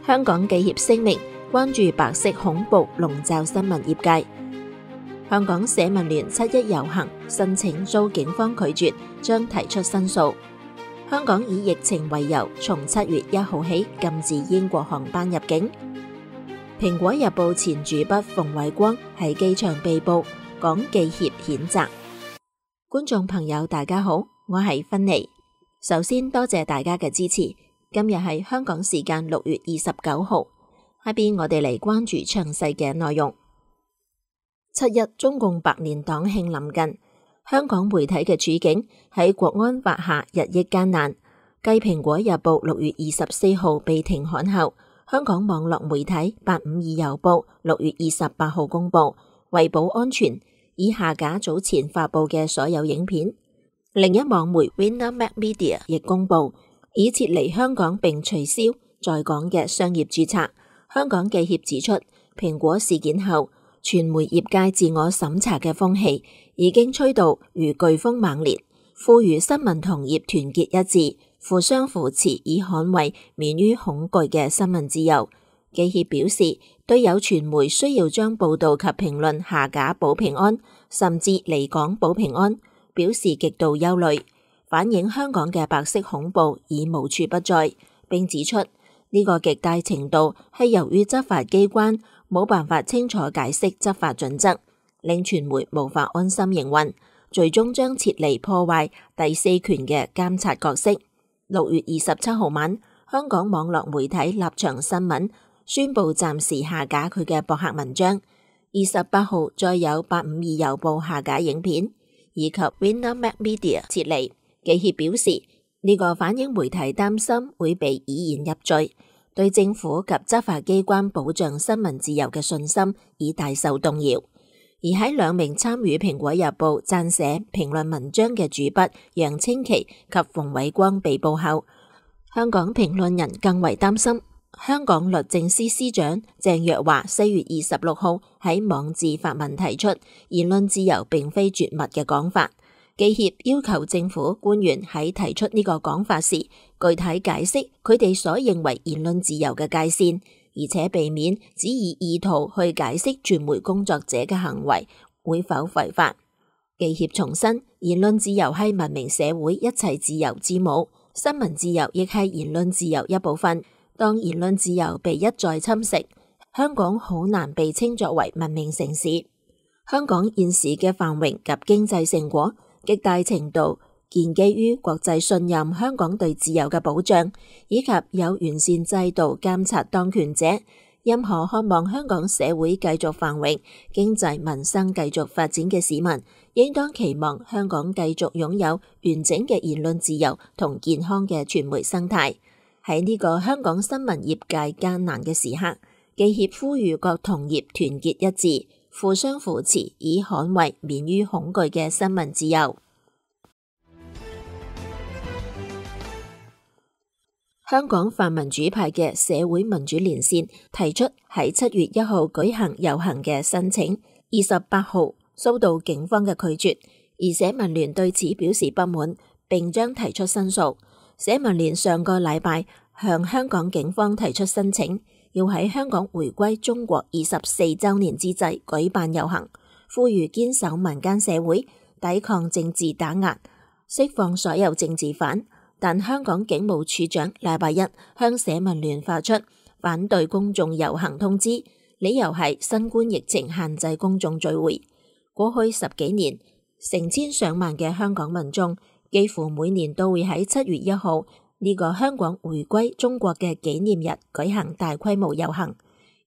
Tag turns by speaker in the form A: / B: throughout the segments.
A: 香港記協聲明關注白色恐怖籠罩新聞業界。香港社民聯7·1遊行申請遭警方拒絕，將提出申訴。香港以疫情為由，從7月1號起禁止英國航班入境。蘋果日報前主筆馮偉光喺機場被捕，港記協譴責。觀眾朋友大家好，我係芬妮。首先多謝大家嘅支持。今日係香港時間6月29號，下邊我哋嚟關注詳細嘅內容。7·1中共百年黨慶臨近，香港媒體嘅處境喺國安法下日益艱難。繼蘋果日報6月24號被停刊後，香港網絡媒體852郵報6月28號公佈，為保安全，已下架早前發佈嘅所有影片。另一網媒 Winner Media 亦公佈，已撤離香港並取消在港嘅商業註冊。香港記協指出，蘋果事件後，傳媒業界自我審查嘅風氣已經吹到如颶風猛烈，呼籲新聞同業團結一致，互相扶持，以捍衛免於恐懼嘅新聞自由。記協表示，對有傳媒需要將報道及評論下架保平安，甚至離港保平安，表示極度憂慮，反映香港嘅白色恐怖已無處不在，並指出呢個極大程度係由於執法機關冇辦法清楚解釋執法準則，令傳媒無法安心營運，最終將撤離破壞第四權嘅監察角色。6月27號晚，香港網絡媒體立場新聞宣布暫時下架佢嘅博客文章。28號再有852郵報下架影片，以及 Winner Media 撤離。記協表示，呢個反映媒體擔心會被以言入罪，對政府及執法機關保障新聞自由嘅信心已大受動搖。而喺2名參與蘋果日報撰寫評論文章嘅主筆楊清奇及馮偉光被捕後，香港評論人更為擔心。香港律政司司長鄭若驊4月26號喺網誌發文提出言論自由並非絕密嘅講法。記協要求政府官員喺提出呢個講法時，具體解釋佢哋所認為言論自由嘅界線，而且避免只以意圖去解釋傳媒工作者嘅行為會否違法。記協重申，言論自由係文明社會一切自由之母，新聞自由亦係言論自由一部分。當言論自由被一再侵蝕，香港好難被稱作為文明城市。香港現時嘅繁榮及經濟成果，極大程度建基於國際信任香港對自由嘅保障，以及有完善制度監察當權者。任何渴望香港社會繼續繁榮、經濟民生繼續發展嘅市民，應當期望香港繼續擁有完整嘅言論自由同健康嘅傳媒生態。喺呢個香港新聞業界艱難嘅時刻，記協呼籲各同業團結一致，互相扶持，以捍衛免於恐懼嘅新聞自由。香港泛民主派嘅社會民主連線提出喺7月1號舉行遊行嘅申請，28號遭到警方嘅拒絕，而社民連對此表示不滿，並將提出申訴。社民連上個禮拜向香港警方提出申請，要喺香港回歸中國24週年之際舉辦遊行，呼籲堅守民間社會，抵抗政治打壓，釋放所有政治犯。但香港警務處長禮拜一向社民連發出反對公眾遊行通知，理由係新冠疫情限制公眾聚會。過去10幾年，成千上萬嘅香港民眾幾乎每年都會喺7月1號呢個香港回歸中國嘅紀念日舉行大規模遊行。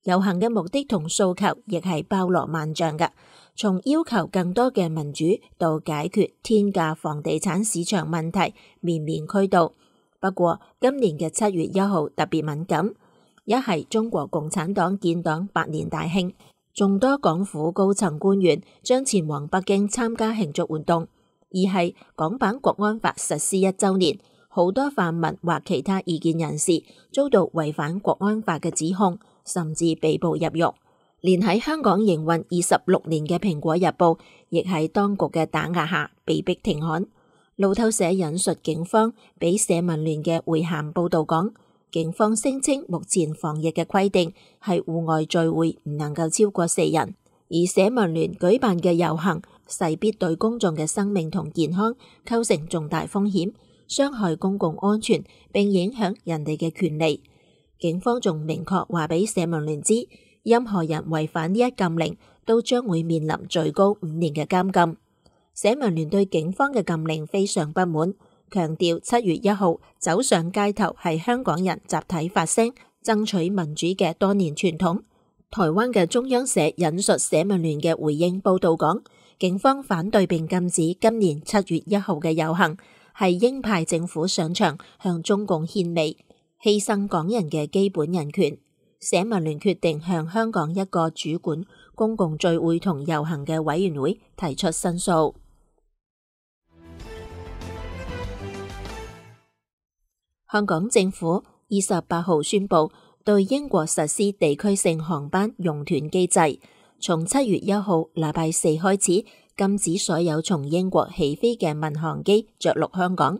A: 遊行嘅目的同訴求亦係包羅萬象嘅，從要求更多嘅民主到解決天價房地產市場問題，面面俱到。不過今年嘅7月1號特別敏感，一係中國共產黨建黨100年大慶，眾多港府高層官員將前往北京參加慶祝活動；二係港版國安法實施1週年，好多泛民或其他異見人士遭到違反國安法嘅指控，甚至被捕入獄。連喺香港營運26年嘅蘋果日報，亦喺當局嘅打壓下被逼停刊。路透社引述警方俾社民連嘅回函報道講，警方聲稱目前防疫嘅規定係戶外聚會唔能夠超過4人，而社民聯舉辦嘅遊行勢必對公眾嘅生命同健康構成重大風險，傷害公共安全並影響人哋嘅權利。警方仲明確話俾社民聯知，任何人違反呢一禁令都將會面臨最高5年嘅監禁。社民聯對警方嘅禁令非常不滿，強調7月1號走上街頭係香港人集體發聲爭取民主嘅多年傳統。台灣嘅中央社引述社民聯嘅回應報道講，警方反對並禁止今年7月1號嘅遊行，係鷹派政府上場向中共獻媚，犧牲港人嘅基本人權。社民聯決定向香港一個主管公共聚會同遊行嘅委員會提出申訴。香港政府28號宣布對英國實施地區性航班熔斷機制，從7月1號禮拜4開始禁止所有從英國起飛嘅民航機着陸香港。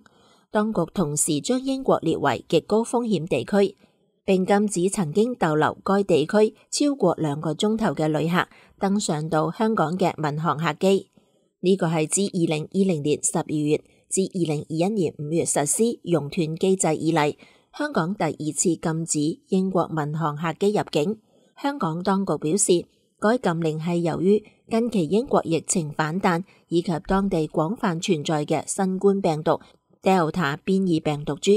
A: 當局同時將英國列為極高風險地區，並禁止曾經逗留該地區超過2個鐘頭嘅旅客登上到香港嘅民航客機。呢個係自2020年12月至2021年5月實施熔斷機制以嚟，香港第2次禁止英國民航客機入境。香港當局表示，該禁令係由於近期英國疫情反彈，以及當地廣泛存在嘅新冠病毒 Delta 變異病毒株，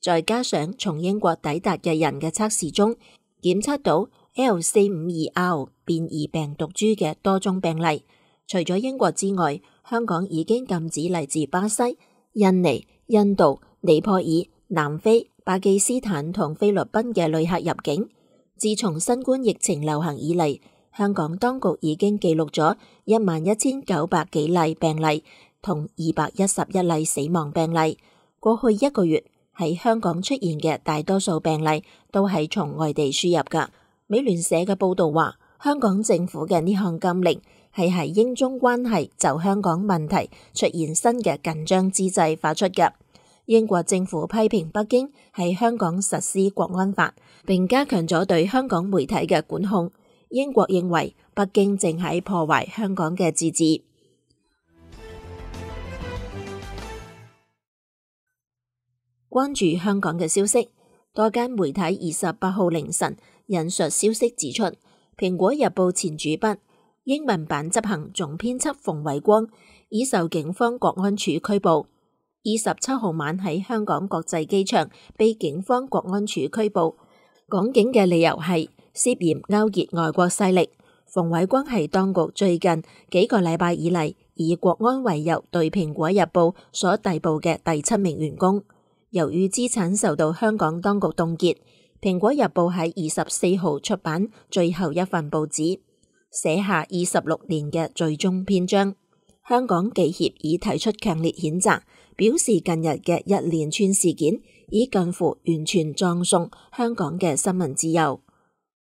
A: 再加上從英國抵達嘅人嘅測試中檢測到 L452R 變異病毒株嘅多宗病例。除咗英國之外，香港已經禁止嚟自巴西、印尼、印度、尼泊爾、南非、巴基斯坦同菲律賓嘅旅客入境。自從新冠疫情流行以嚟，香港當局已經記錄咗11,900幾例病例同211例死亡病例。過去1個月喺香港出現嘅大多數病例都係從外地輸入㗎。美聯社嘅報導話，香港政府嘅呢項禁令係喺英中關係就香港問題出現新嘅緊張之際發出嘅。英國政府批評北京喺香港實施國安法，並加強咗對香港媒體嘅管控。英國認為北京正喺破壞香港嘅自治。關注香港嘅消息，多間媒體28號凌晨引述消息指出，蘋果日報前主筆、英文版執行總編輯馮偉光已受警方國安處拘捕。27號晚喺香港國際機場被警方國安處拘捕，港警嘅理由係涉嫌勾結外國勢力。馮偉光係當局最近幾個禮拜以嚟以國安為由對蘋果日報所逮捕嘅第7名員工。由於資產受到香港當局凍結，蘋果日報喺24號出版最後一份報紙，寫下26年嘅最終篇章。香港記協已提出強烈譴責，表示近日嘅一連串事件已近乎完全葬送香港嘅新聞自由。